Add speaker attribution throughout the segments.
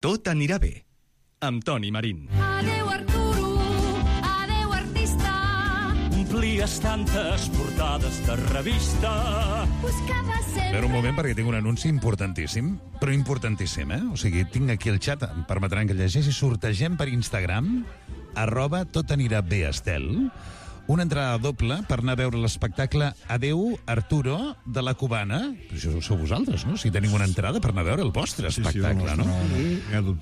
Speaker 1: Tot anirà bé, amb Toni Marín.
Speaker 2: Adéu, Arturo, adéu, artista.
Speaker 3: Omplies tantes portades de revista.
Speaker 2: Buscava sempre...
Speaker 4: Espera un moment perquè tinc un anunci importantíssim, però importantíssim, O sigui, tinc aquí el xat, em permetran que llegeixi, sortegem per Instagram, @totanirabéestel, una entrada doble per anar a veure l'espectacle Adéu, Arturo, de la Cubana. Això sou vosaltres, no? Si tenim una entrada per anar a veure el vostre espectacle, no?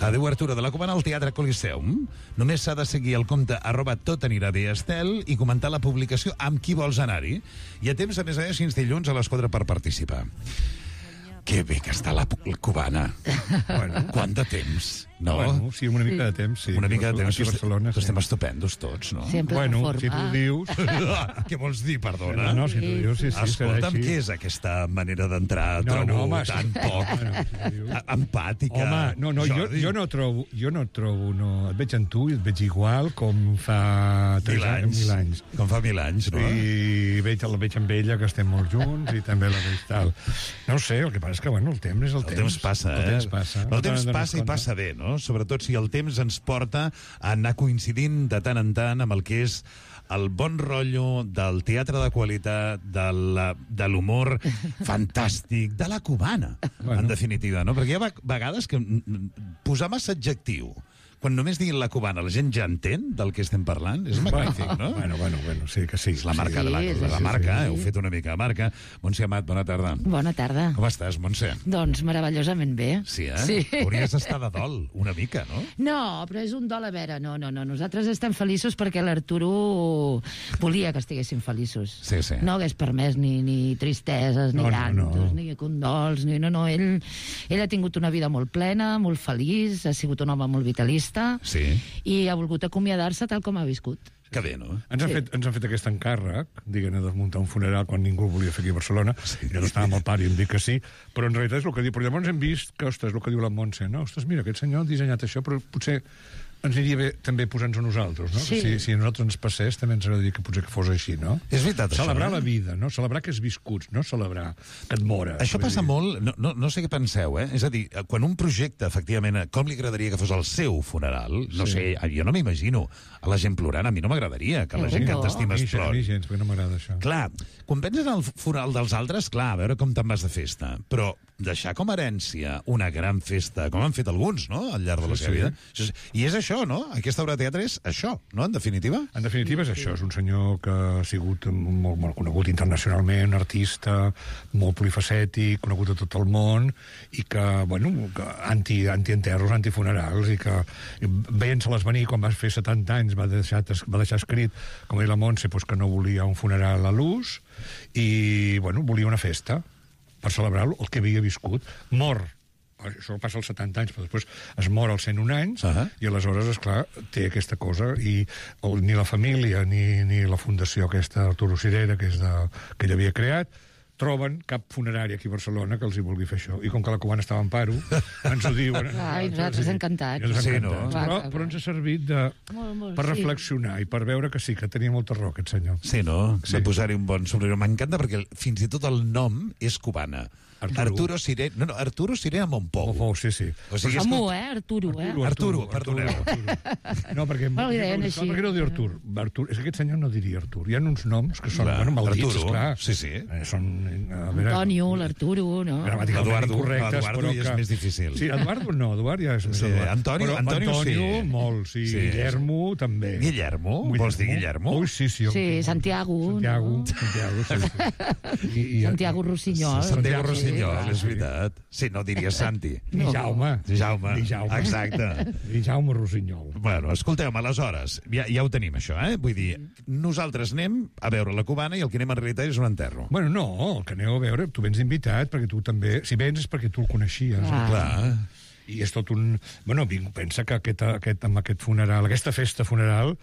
Speaker 4: Adéu, Arturo, de la Cubana al Teatre Coliseum. Només s'ha de seguir el compte @totanirabéestel i comentar la publicació amb qui vols anar-hi. Hi ha temps, a més a més, fins dilluns a les 4 per participar. Que bé que està la Cubana. Bueno, quant de temps, no?
Speaker 5: Bueno, sí, una mica de temps, sí.
Speaker 4: Una mica de temps.
Speaker 5: Aquí a Barcelona, sí.
Speaker 4: Estem estupendos tots, no?
Speaker 6: Sempre
Speaker 5: bueno,
Speaker 6: forma.
Speaker 5: si tu ho dius...
Speaker 4: Què vols dir, perdona?
Speaker 5: No, si tu ho dius, sí,
Speaker 4: Escolta'm,
Speaker 5: serà així.
Speaker 4: què és aquesta manera d'entrar?
Speaker 5: No,
Speaker 4: Trobo
Speaker 5: home,
Speaker 4: tan poc empàtica.
Speaker 5: Home, no, jo no trobo, no. Et veig en tu i et veig igual com fa
Speaker 4: 1000 anys. Com fa 1000 anys, no?
Speaker 5: I la veig amb ella, que estem molt junts, i també la veig tal. No ho sé, el que passa és que, bueno, el temps és el temps.
Speaker 4: El temps passa,
Speaker 5: El temps passa.
Speaker 4: El temps passa i passa bé, no? Sobretot si el temps ens porta a anar coincidint de tant en tant amb el que és el bon rotllo del teatre de qualitat, de l'humor fantàstic, de la Cubana, en definitiva, no? Perquè hi ha vegades que posar massa adjectiu quan només diguin la Cubana, la gent ja entén del que estem parlant. És magnífic, no?
Speaker 5: Bueno, sí que sí.
Speaker 4: És la marca de la marca, heu fet una mica de marca. Montse Amat, bona tarda.
Speaker 6: Bona tarda.
Speaker 4: Com estàs, Montse?
Speaker 6: Doncs meravellosament bé.
Speaker 4: Sí,
Speaker 6: Sí.
Speaker 4: Hauries d'estar de dol, una mica, no?
Speaker 6: No, però és un dol a veure. No. Nosaltres estem feliços perquè l'Arturo volia que estiguéssim feliços.
Speaker 4: Sí.
Speaker 6: No hagués permès ni tristeses, ni llantos, ni condols, no. Ell ha tingut una vida molt plena, molt feliç, ha sigut un home molt vitalista, i ha volgut acomiadar-se tal com ha viscut.
Speaker 4: Que bé, no?
Speaker 5: Ens han fet aquest encàrrec, diguem, de muntar un funeral quan ningú el volia fer aquí a Barcelona. Jo no estava amb el pare i em dic que sí, però en realitat és el que diu. Però llavors hem vist que, ostres, el que diu la Montse, no? Ostres, mira, aquest senyor ha dissenyat això, però potser ens aniria bé també posar-nos a nosaltres, no?
Speaker 6: Sí.
Speaker 5: Si a nosaltres ens passés, també ens agradaria que potser que fos així, no?
Speaker 4: És veritat,
Speaker 5: celebrar
Speaker 4: això,
Speaker 5: la vida, no? Celebrar que has viscut, no celebrar que et mores.
Speaker 4: Això passa molt, no sé què penseu, És a dir, quan un projecte, efectivament, com li agradaria que fos el seu funeral, no sé, jo no m'imagino a la gent plorant, a mi no m'agradaria que la gent que t'estimes plor.
Speaker 5: A mi gens, perquè no m'agrada això.
Speaker 4: Clar, quan penses en el funeral dels altres, clar, a veure com te'n vas de festa, però deixar com a herència una gran festa, com han fet alguns, no?, al llarg de la seva vida. I és això, no? Aquesta obra de teatre és això, no?, en definitiva?
Speaker 5: En definitiva és això, és un senyor que ha sigut molt conegut internacionalment, artista, molt polifacètic, conegut a tot el món, i que, bueno, anti-enterros, antifunerals, i que veient-se-les venir quan va fer 70 anys va deixar escrit, com deia la Montse, que no volia un funeral a l'ús, i, bueno, volia una festa per celebrar el que havia viscut. Mor, això passa als 70 anys, però després es mor als 101 anys, i aleshores, esclar, té aquesta cosa, i ni la família ni la fundació aquesta, Arturo Sirera, que ell havia creat, troben cap funerari aquí a Barcelona que els hi vulgui fer això. I com que la Cubana estava en paro, ens ho diuen.
Speaker 6: Ai, nosaltres encantats.
Speaker 4: Sí, no?
Speaker 5: Però ens ha servit per reflexionar i per veure que sí, que tenia molta raó aquest senyor.
Speaker 4: Sí, no? De posar-hi un bon somriure. M'encanta perquè fins i tot el nom és Cubana. Arturo Sirera... No, Arturo Sirera Montpou.
Speaker 5: Montpou, sí.
Speaker 4: O sigui, Arturo, perdoneu.
Speaker 5: No, perquè...
Speaker 6: Però li deien així.
Speaker 5: Perquè no diu Artur. És que aquest senyor no diria Artur. Hi ha uns noms que són maldits, esclar.
Speaker 4: Sí.
Speaker 5: Són...
Speaker 6: Antonio, l'Arturo, no?
Speaker 4: Eduardo
Speaker 5: però
Speaker 4: ja és més difícil.
Speaker 5: Sí, Eduardo no, Eduard ja és més Eduard.
Speaker 4: Antonio sí.
Speaker 5: Molt, sí. Guillermo també.
Speaker 4: Guillermo? Vols dir Guillermo?
Speaker 5: Ui, sí.
Speaker 6: Sí, Santiago,
Speaker 5: sí.
Speaker 6: Santiago Rossinyol.
Speaker 4: Santiago Rossinyol, és veritat. Sí, no diria Santi.
Speaker 5: Ni Jaume.
Speaker 4: Exacte.
Speaker 5: Ni Jaume Rossinyol.
Speaker 4: Bueno, escolteu, aleshores, ja ho tenim, això, Vull dir, nosaltres anem a veure la Cubana i el que anem en realitat és un enterro.
Speaker 5: Bueno, no, el que aneu a veure, tu vens invitat, perquè tu també... Si vens és perquè tu el coneixies.
Speaker 4: Clar.
Speaker 5: I és tot un... Bueno, pensa que amb aquest funeral, aquesta festa funeral,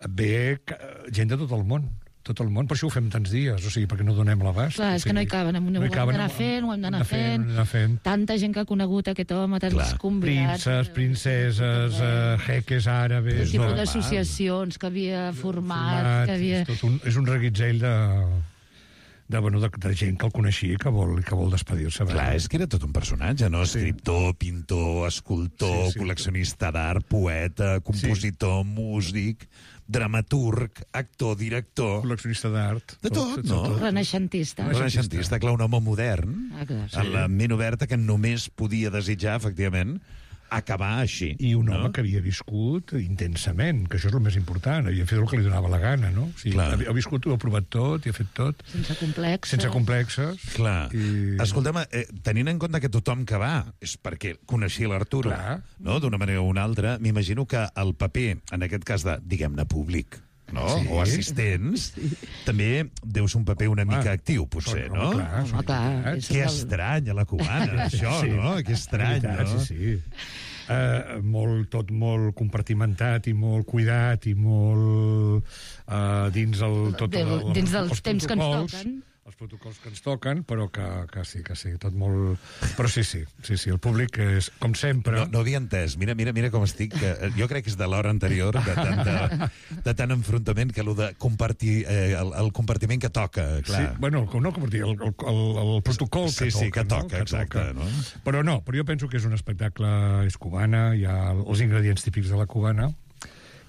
Speaker 5: ve gent de tot el món. Tot el món, per això ho fem tants dies, o sigui, perquè no donem l'abast.
Speaker 6: Clar, és que no hi caben, ho hem d'anar fent. Tanta gent que ha conegut aquest home, tants convidats.
Speaker 5: Princeses, jeques àrabes...
Speaker 6: El tipus d'associacions que havia format, que havia...
Speaker 5: És un reguitzell gent que el coneixia i que vol despedir-se.
Speaker 4: Clar, és que era tot un personatge, no? Escriptor, pintor, escultor, col·leccionista d'art, poeta, compositor, músic, dramaturg, actor, director...
Speaker 5: Col·leccionista d'art.
Speaker 4: De tot, no?
Speaker 6: Renaixentista.
Speaker 4: Renaixentista, clar, un home modern, en la ment oberta, que només podia desitjar, efectivament, acabar així.
Speaker 5: I un home que havia viscut intensament, que això és el més important, havia fet el que li donava la gana, no? O sigui, ha viscut, ho ha provat tot i ha fet tot.
Speaker 6: Sense complexes.
Speaker 5: Sense complexes.
Speaker 4: Clar. Escolta'm, tenint en compte que tothom que va és perquè coneixia l'Arturo, no? D'una manera o una altra, m'imagino que el paper, en aquest cas de, diguem-ne, públic, no? O assistents, també deu ser un paper una mica actiu, potser, no?
Speaker 6: Clar.
Speaker 4: Que estrany, a la cubana, això, no? Que estrany, no?
Speaker 5: Sí. Tot molt compartimentat i molt cuidat i molt dins
Speaker 6: dels temps que ens toquen.
Speaker 5: Els protocols que ens toquen, però que sí, tot molt... Però sí, el públic és, com sempre...
Speaker 4: No havia entès, mira com estic, jo crec que és de l'hora anterior, de tant enfrontament, que allò de compartir, el compartiment que toca, clar.
Speaker 5: Sí, bueno, no compartir, el protocol que toca.
Speaker 4: Sí, que toca, exacte. No?
Speaker 5: Però però jo penso que és un espectacle, és cubana, hi ha els ingredients típics de la cubana,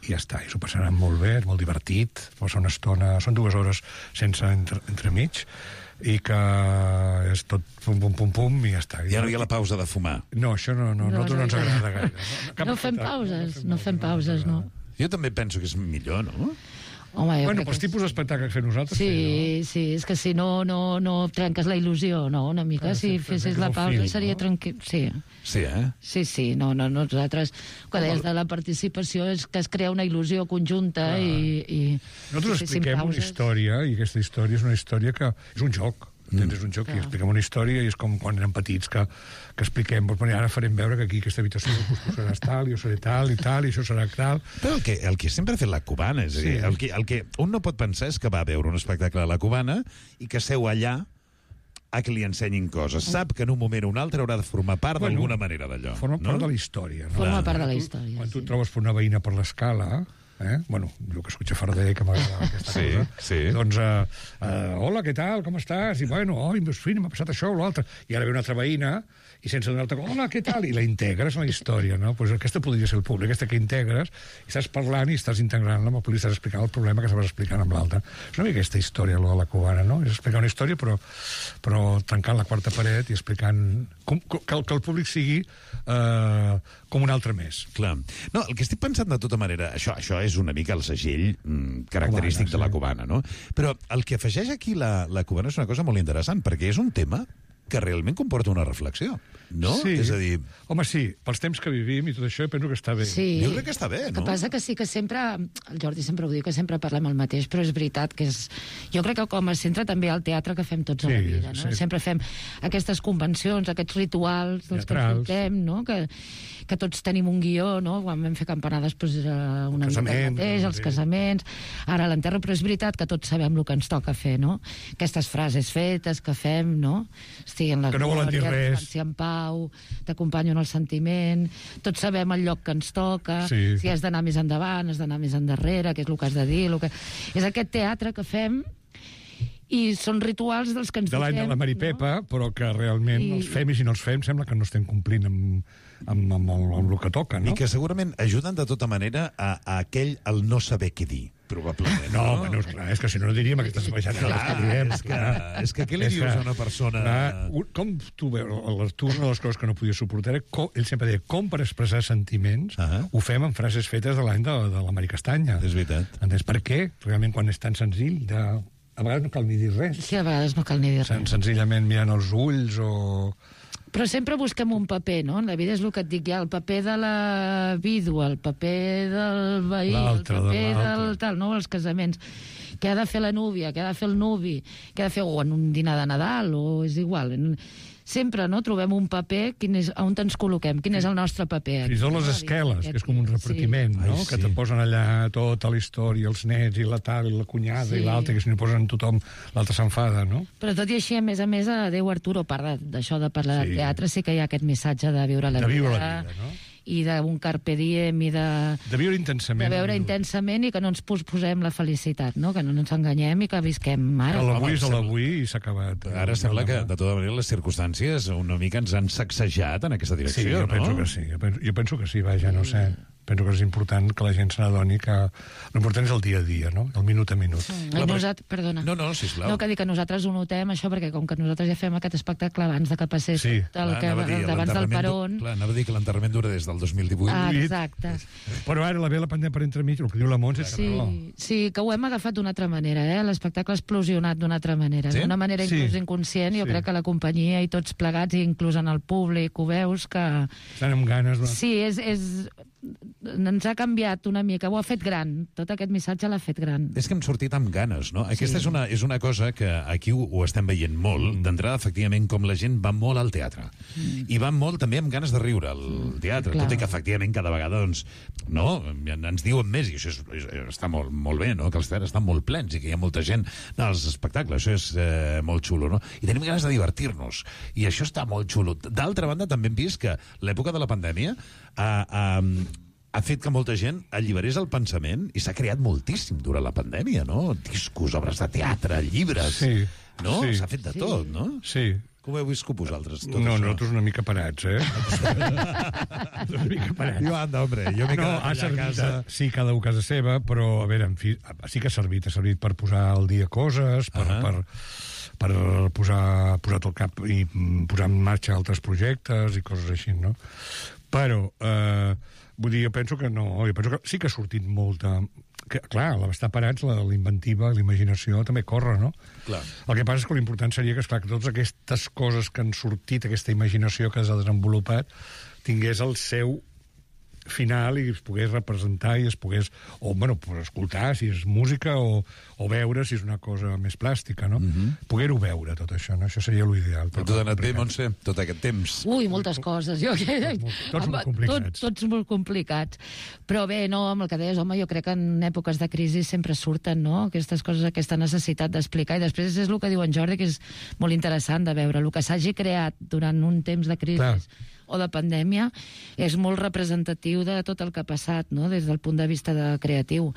Speaker 5: i ja està, i s'ho passaran molt bé, és molt divertit, passa una estona, són 2 hores sense entremig, i que és tot pum, i ja està.
Speaker 4: Ja no hi ha la pausa de fumar.
Speaker 5: No, això no ens agrada gaire.
Speaker 6: No fem pauses, no.
Speaker 4: Jo també penso que és millor, no?
Speaker 6: Home,
Speaker 5: pels tipus d'espectacle que fem nosaltres...
Speaker 6: Sí, és que si no trenques la il·lusió, no? Una mica, si fessis la pausa seria tranquil. Sí.
Speaker 4: Sí,
Speaker 6: Sí, nosaltres, quan deies de la participació, és que es crea una il·lusió conjunta i...
Speaker 5: Nosaltres expliquem una història, i aquesta història és una història que és un joc. És un joc i expliquem una història i és com quan érem petits que expliquem, ara farem veure que aquí aquesta habitació tu seràs tal, jo seré tal i això serà tal.
Speaker 4: Però el que sempre ha fet la cubana, és a dir, el que un no pot pensar és que va veure un espectacle a la cubana i que seu allà a que li ensenyin coses. Sap que en un moment o un altre haurà de formar part d'alguna manera d'allò.
Speaker 5: Forma part de la història.
Speaker 6: Forma part de la història.
Speaker 5: Quan tu et trobes per una veïna per l'escala... Bueno, jo que escucho Farder, que m'agrada aquesta cosa. Doncs, hola, què tal, com estàs? I bueno, m'ha passat això o l'altre. I ara ve una altra veïna i sense donar-te, hola, què tal? I la integres en la història, no? Pues aquesta podria ser el públic, aquesta que integres, i estàs parlant i estàs integrant-la amb el públic, estàs explicant el problema que estaves explicant amb l'altre. És una mica aquesta història, lo de la cubana, no? És explicar una història, però tancant la quarta paret i explicant que el públic sigui com un altre més.
Speaker 4: Clar. No, el que estic pensant de tota manera, això és una mica el segell característic de la cubana, no? Però el que afegeix aquí la cubana és una cosa molt interessant, perquè és un tema que realment comporta una reflexió, no?
Speaker 5: Sí.
Speaker 4: És a dir...
Speaker 5: Home, sí, pels temps que vivim i tot això, penso que està bé.
Speaker 6: Sí.
Speaker 4: Jo crec que està bé, no?
Speaker 6: El que passa que sí que sempre... El Jordi sempre ho diu, que sempre parlem el mateix, però és veritat que és... Jo crec que com a centre també hi ha el teatre que fem tots a la vida, no? Sempre fem aquestes convencions, aquests rituals dels que portem, no? Que tots tenim un guió, no? Quan vam fer campanades, doncs, una mica el mateix, els casaments, ara l'enterro, però és veritat que tots sabem el que ens toca fer, no? Aquestes frases fetes que fem, no? En la
Speaker 5: que no volen dir res.
Speaker 6: En pau, t'acompanyo en el sentiment, tots sabem el lloc que ens toca, si has d'anar més endavant, has d'anar més endarrere, què és el que has de dir, és aquest teatre que fem i són rituals dels que ens
Speaker 5: de l'any de la Maripepa, però que realment els fem i si no els fem sembla que no estem complint amb el que toca, no?
Speaker 4: I que segurament ajuden de tota manera a aquell el no saber què dir, probablement.
Speaker 5: No, bueno, clar, és que si no diríem aquestes baixades que diem.
Speaker 4: És que què li dius a una persona...
Speaker 5: Com tu veus, l'Artur, una de les coses que no podia suportar era, ell sempre deia, com per expressar sentiments ho fem amb frases fetes de l'any de la Mari Castanya.
Speaker 4: És veritat.
Speaker 5: Entens per què? Realment quan és tan senzill a vegades no cal ni dir res.
Speaker 6: Sí, a vegades no cal ni dir res.
Speaker 5: Senzillament mirant els ulls o...
Speaker 6: Però sempre busquem un paper, no? En la vida és el que et dic, hi ha el paper de la vídua, el paper del veí, el paper del tal, no? Els casaments. Què ha de fer la núvia, què ha de fer el nuvi, què ha de fer en un dinar de Nadal, o és igual. Sempre, no?, trobem un paper, on ens col·loquem, quin és el nostre paper.
Speaker 5: Fins i tot les esqueles, que és com un repartiment, no? Que te posen allà tota la història, els nets, i la tal, i la cunyada, i l'altra, que si no posen tothom, l'altre s'enfada, no?
Speaker 6: Però tot i així, a més, Adéu Arturo, a part d'això de parlar de teatre, sí que hi ha aquest missatge de viure la vida,
Speaker 5: no?
Speaker 6: i d'un carpe diem i de
Speaker 5: viure intensament.
Speaker 6: De veure intensament i que no ens posposem la felicitat, no? Que no ens enganyem i que visquem ara.
Speaker 5: L'avui és l'avui i s'ha acabat.
Speaker 4: Ara sembla que, de tota manera, les circumstàncies una mica ens han sacsejat en aquesta direcció,
Speaker 5: sí, jo penso que sí. Jo penso que sí, vaja, no sé. Penso que és important que la gent se n'adoni que l'important és el dia a dia, no? El minut a minut.
Speaker 6: Perdona.
Speaker 4: No, sisplau.
Speaker 6: No, que dic que nosaltres ho notem, això, perquè com que nosaltres ja fem aquest espectacle abans de que passés abans del Perón...
Speaker 4: Clar, anava a dir que l'enterrament dura des del 2018.
Speaker 6: Ah, exacte.
Speaker 5: Però ara ve la pandèmia per entremig, el que diu la Montse...
Speaker 6: Sí, que ho hem agafat d'una altra manera, l'espectacle ha explosionat d'una altra manera, d'una manera inclús inconscient, jo crec que la companyia i tots plegats, i inclús en el públic, ho veus que...
Speaker 5: Estan amb ganes...
Speaker 6: Sí, ens ha canviat una mica, ho ha fet gran, tot aquest missatge l'ha fet gran.
Speaker 4: És que hem sortit amb ganes, no? Aquesta és una cosa que aquí ho estem veient molt, d'entrada, efectivament, com la gent va molt al teatre. I va molt també amb ganes de riure al teatre, tot i que efectivament cada vegada, doncs, no, ens diuen més, i això està molt bé, no? Que els teatres estan molt plens i que hi ha molta gent als espectacles, això és molt xulo, no? I tenim ganes de divertir-nos, i això està molt xulo. D'altra banda, també hem vist que l'època de la pandèmia ha fet que molta gent alliberés el pensament i s'ha creat moltíssim durant la pandèmia, no? Discos, obres de teatre, llibres...
Speaker 5: Sí.
Speaker 4: No? S'ha fet de tot, no?
Speaker 5: Sí.
Speaker 4: Com heu viscut vosaltres, tot
Speaker 5: això?
Speaker 4: No,
Speaker 5: nosaltres una mica parats, una mica parats.
Speaker 4: Jo anda, hombre, jo m'he quedat allà a casa.
Speaker 5: Sí, cada un a casa seva, però, a veure, en fi, sí que ha servit per posar al dia coses, per posar tot el cap i posar en marxa altres projectes i coses així, no? Però... vull dir, jo penso que no, jo penso que sí que ha sortit molta... Clar, l'estar parats, la inventiva, la imaginació també corre, no?
Speaker 4: Clar.
Speaker 5: El que passa és que l'important seria que, esclar, que totes aquestes coses que han sortit, aquesta imaginació que s'ha desenvolupat, tingués el seu final i es pogués representar i es pogués, escoltar si és música o veure si és una cosa més plàstica, no? Poder-ho veure, tot això, no? Això seria l'ideal.
Speaker 4: Però tu anat bé, Montse, tot aquest temps?
Speaker 6: Ui, moltes coses.
Speaker 5: Tots molt complicats.
Speaker 6: Tots molt complicats. Però bé, no, amb el que deies, home, jo crec que en èpoques de crisi sempre surten, no?, aquestes coses, aquesta necessitat d'explicar. I després és el que diu en Jordi, que és molt interessant de veure. El que s'hagi creat durant un temps de crisi... Clar. O de pandèmia, és molt representatiu de tot el que ha passat, no?, des del punt de vista creatiu.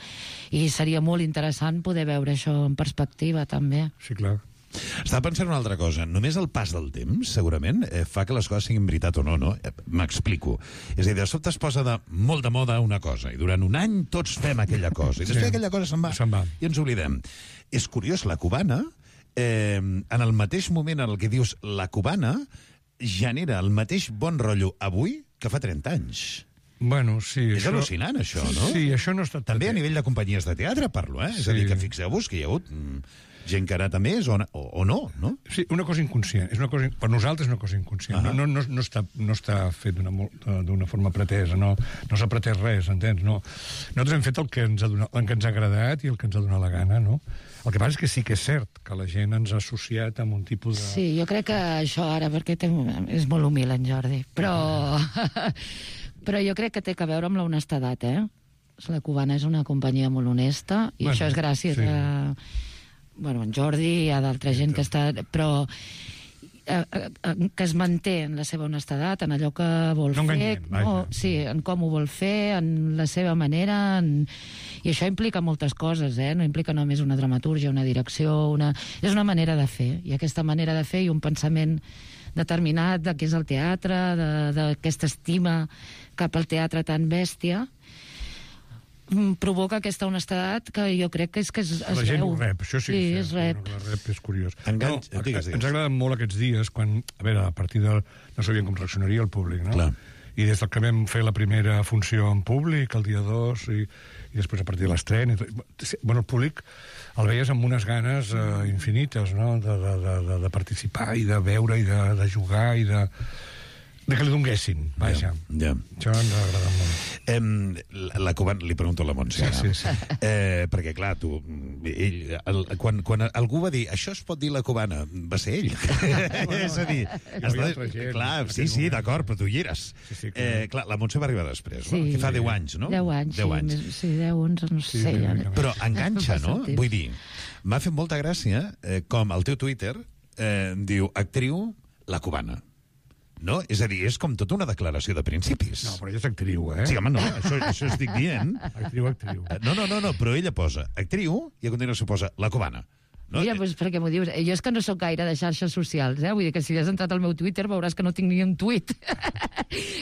Speaker 6: I seria molt interessant poder veure això en perspectiva, també.
Speaker 5: Sí, clar.
Speaker 4: Estava pensant una altra cosa. Només el pas del temps, segurament, fa que les coses siguin veritat o no, no? M'explico. És a dir, de sobte es posa molt de moda una cosa, i durant un any tots fem aquella cosa, i després aquella cosa se'n va. I ens oblidem. És curiós, la cubana, en el mateix moment en el que dius la cubana, genera el mateix bon rotllo avui que fa 30 anys.
Speaker 5: Bueno, sí.
Speaker 4: És al·lucinant, això, no?
Speaker 5: Sí, això no està...
Speaker 4: També a nivell de companyies de teatre parlo, eh? És a dir, que fixeu-vos que hi ha hagut gent que ha anat a més o no, no?
Speaker 5: Sí, una cosa inconscient. És una cosa, per nosaltres és una cosa inconscient. No està fet d'una forma pretesa, no s'ha pretès res, entens? No. Nosaltres hem fet el que ens ha agradat i el que ens ha donat la gana, no? El que passa és que sí que és cert que la gent ens ha associat amb un tipus de...
Speaker 6: Sí, jo crec que això ara, perquè és molt humil en Jordi, però jo crec que té a veure amb l'honestedat, eh? La Cubana és una companyia molt honesta, i això és gràcies a en Jordi i a d'altra gent que està... Però que es manté en la seva honestedat, en allò que vol fer, sí, en com ho vol fer, en la seva manera, i això implica moltes coses, no implica només una dramatúrgia, una direcció, és una manera de fer, i aquesta manera de fer i un pensament determinat de què és el teatre, d'aquesta estima cap al teatre tan bèstia, provoca aquesta honestedat que jo crec que es veu.
Speaker 5: La gent ho rep, això sí
Speaker 6: es rep.
Speaker 5: La rep és curiós.
Speaker 4: Ens
Speaker 5: ha agradat molt aquests dies, quan, a veure, a partir de... No sabíem com reaccionaria el públic, no? Clar. I des que vam fer la primera funció en públic, el dia 2, i després a partir de l'estrena... Bueno, el públic el veies amb unes ganes infinites, no?, de participar i de veure i de jugar i de que li donguessin, vaja. Això ens ha agradat molt.
Speaker 4: La Cubana, li pregunto a la Montse,
Speaker 5: sí.
Speaker 4: perquè, clar, quan algú va dir això es pot dir la Cubana, va ser ell. És a dir, clar, sí, d'acord, però tu hi eres. Clar, la Montse va arribar després, que fa 10 anys, no?
Speaker 6: 10 anys, sí, 10, 11, no sé.
Speaker 4: Però enganxa, no? Vull dir, m'ha fet molta gràcia com el teu Twitter diu actriu la Cubana. No? És a dir, és com tota una declaració de principis.
Speaker 5: No, però ella és actriu,
Speaker 4: Sí, home, no, això estic dient.
Speaker 5: Actriu.
Speaker 4: No, però ella posa actriu i a continuació posa la cubana. No?
Speaker 6: Mira, doncs per què m'ho dius? Jo és que no sóc gaire de xarxes socials, Vull dir que si has entrat al meu Twitter veuràs que no tinc ni un tuit.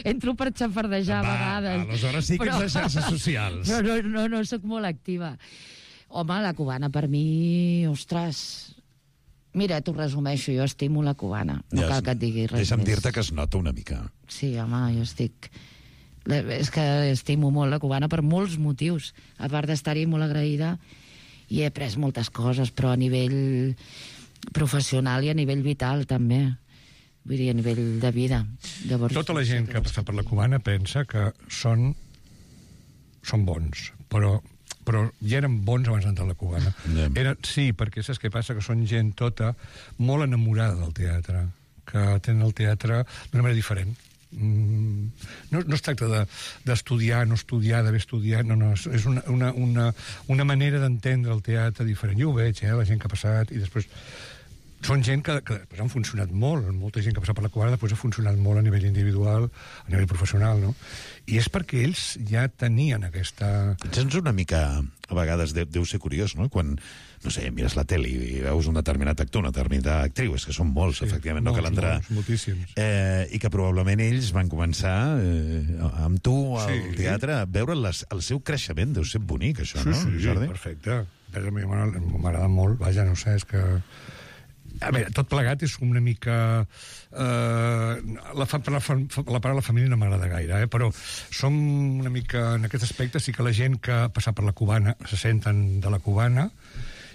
Speaker 6: Entro per xafardejar a vegades.
Speaker 4: Aleshores sí que ets de xarxes socials.
Speaker 6: Però no sóc molt activa. Home, la cubana per mi, ostres... Mira, t'ho resumeixo, jo estimo la cubana. No cal que et digui res
Speaker 4: Deixa'm
Speaker 6: més.
Speaker 4: dir-te que es nota una mica.
Speaker 6: Sí, home, jo estic... És que estimo molt la cubana per molts motius. A part d'estar-hi molt agraïda, i he après moltes coses, però a nivell professional i a nivell vital, també. Vull dir, a nivell de vida. Llavors,
Speaker 5: tota la gent que ha passat per la cubana pensa que són bons, però ja eren bons abans d'entrar a la cubana. Sí, perquè saps què passa? Que són gent tota molt enamorada del teatre, que tenen el teatre d'una manera diferent. No es tracta d'estudiar, no estudiar, d'haver estudiat, no, és una manera d'entendre el teatre diferent. Jo ho veig, la gent que ha passat, i després són gent que després han funcionat molt, molta gent que ha passat per la cubana després ha funcionat molt a nivell individual, a nivell professional, no? I és perquè ells ja tenien aquesta...
Speaker 4: Sents una mica, a vegades, deu ser curiós, no? Quan, no sé, mires la tele i veus un determinat actor, una determinada actriu, és que són molts, efectivament, no cal entrar...
Speaker 5: Moltíssims.
Speaker 4: I que probablement ells van començar amb tu al teatre, a veure el seu creixement. Deu ser bonic, això, no, Jordi?
Speaker 5: Sí, perfecte. A mi m'agrada molt, vaja, no sé, és que... A veure, tot plegat és una mica... La paraula família no m'agrada gaire, però som una mica... En aquest aspecte sí que la gent que ha passat per la cubana se senten de la cubana,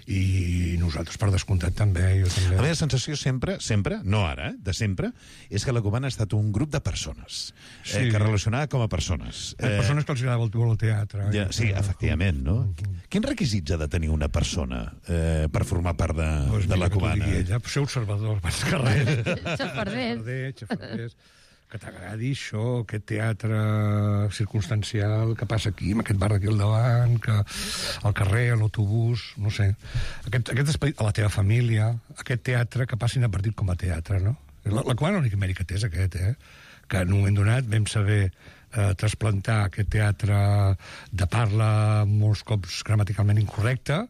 Speaker 5: i nosaltres, per descomptat, també. Jo també.
Speaker 4: La meva sensació sempre, no ara, de sempre, és que la cubana ha estat un grup de persones, que relacionava com a persones.
Speaker 5: Persones que els agrada el teatre.
Speaker 4: Sí, efectivament, no? Quins requisits ha de tenir una persona per formar part de la cubana?
Speaker 5: Ser observador, abans que res.
Speaker 6: Xafarders.
Speaker 5: Que t'agradi això, aquest teatre circumstancial que passa aquí, amb aquest bar d'aquí al davant, que al carrer, a l'autobús, no sé. Aquest espai, a la teva família, aquest teatre que passi inadvertit com a teatre, no? La cubana l'únic mèrit que té és aquest, que en un moment donat vam saber trasplantar aquest teatre de parla molts cops gramaticalment incorrecta,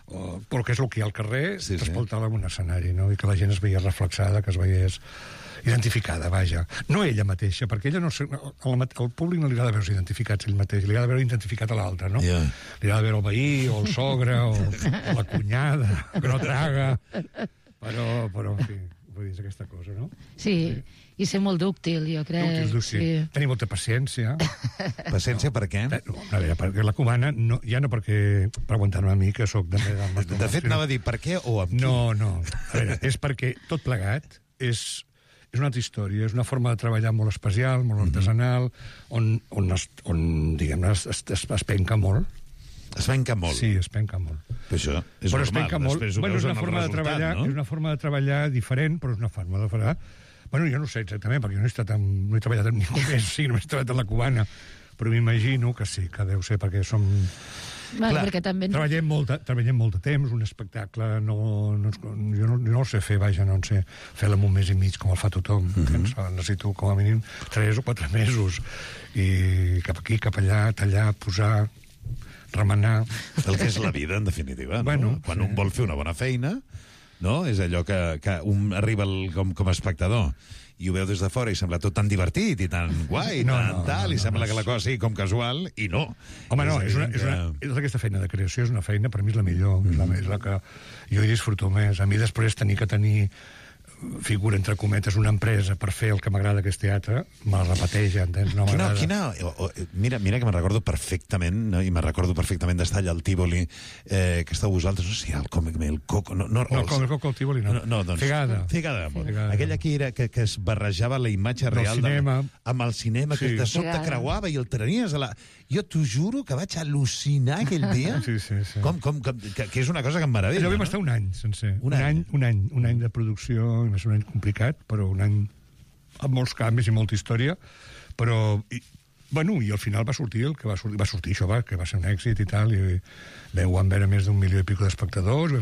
Speaker 5: però que és el que hi ha al carrer, trasplantar-la en un escenari, no? I que la gent es veia reflexada, que es veiés identificada, vaja. No ella mateixa, perquè ella no... Al públic no li agrada veure-se identificats ell mateix, li agrada veure identificat a l'altre, no? Li agrada veure el veí, o el sogre, o la cunyada, que no traga... Però, en fi, vull dir, és aquesta cosa, no?
Speaker 6: Sí, i ser molt dúctil, jo crec.
Speaker 5: Dúctil. Tenir molta paciència.
Speaker 4: Paciència per què?
Speaker 5: A veure, perquè la cubana, ja no per aguantar-me a mi, que sóc de
Speaker 4: fet, anava a dir per què o amb qui.
Speaker 5: No. A veure, és perquè tot plegat és una altra història, és una forma de treballar molt especial, molt artesanal, on diguem-ne, es penca molt.
Speaker 4: Es penca molt?
Speaker 5: Sí, es penca molt.
Speaker 4: Però això és normal, després ho veus en el resultat, no?
Speaker 5: És una forma de treballar diferent, però és una forma de treballar... Bueno, jo no ho sé exactament, perquè jo no he treballat amb ningú més, només he treballat en la cubana, però m'imagino que sí, que deu ser perquè som...
Speaker 6: Clar, perquè també...
Speaker 5: Treballem molt de temps, un espectacle, jo no sé fer, vaja, no sé fer-lo en un mes i mig com el fa tothom, necessito com a mínim 3 o 4 mesos, i cap aquí, cap allà, tallar, posar, remenar...
Speaker 4: El que és la vida, en definitiva, no?
Speaker 5: Bueno,
Speaker 4: quan un vol fer una bona feina, no? És allò que un arriba com a espectador i ho veu des de fora i sembla tot tan divertit i tan guai, i sembla que la cosa sigui com casual, i no.
Speaker 5: Home, no, és aquesta feina de creació, és una feina, per mi és la millor, és la que jo hi disfruto més. A mi després tenir figura, entre cometes, una empresa per fer el que m'agrada, que és teatre, me la repeteix, entens? No m'agrada.
Speaker 4: Mira que me'n recordo perfectament, no? I me'n recordo perfectament d'estar allà al Tívoli, que estàu vosaltres, no sé, el Coco... No,
Speaker 5: el Coco al Tívoli no.
Speaker 4: Doncs,
Speaker 5: Figada.
Speaker 4: Aquella que es barrejava la imatge real amb el cinema, que de sobte creuava i el trenies a la... Jo t'ho juro que vaig al·lucinar aquell dia.
Speaker 5: Sí.
Speaker 4: Que és una cosa que em meravella.
Speaker 5: Allò vam estar un any sencer. Un any de producció, va ser un any complicat, però un any amb molts canvis i molta història, però... I al final va sortir el que va sortir això, que va ser un èxit i tal, i vam veure més d'1 milió i pico d'espectadors,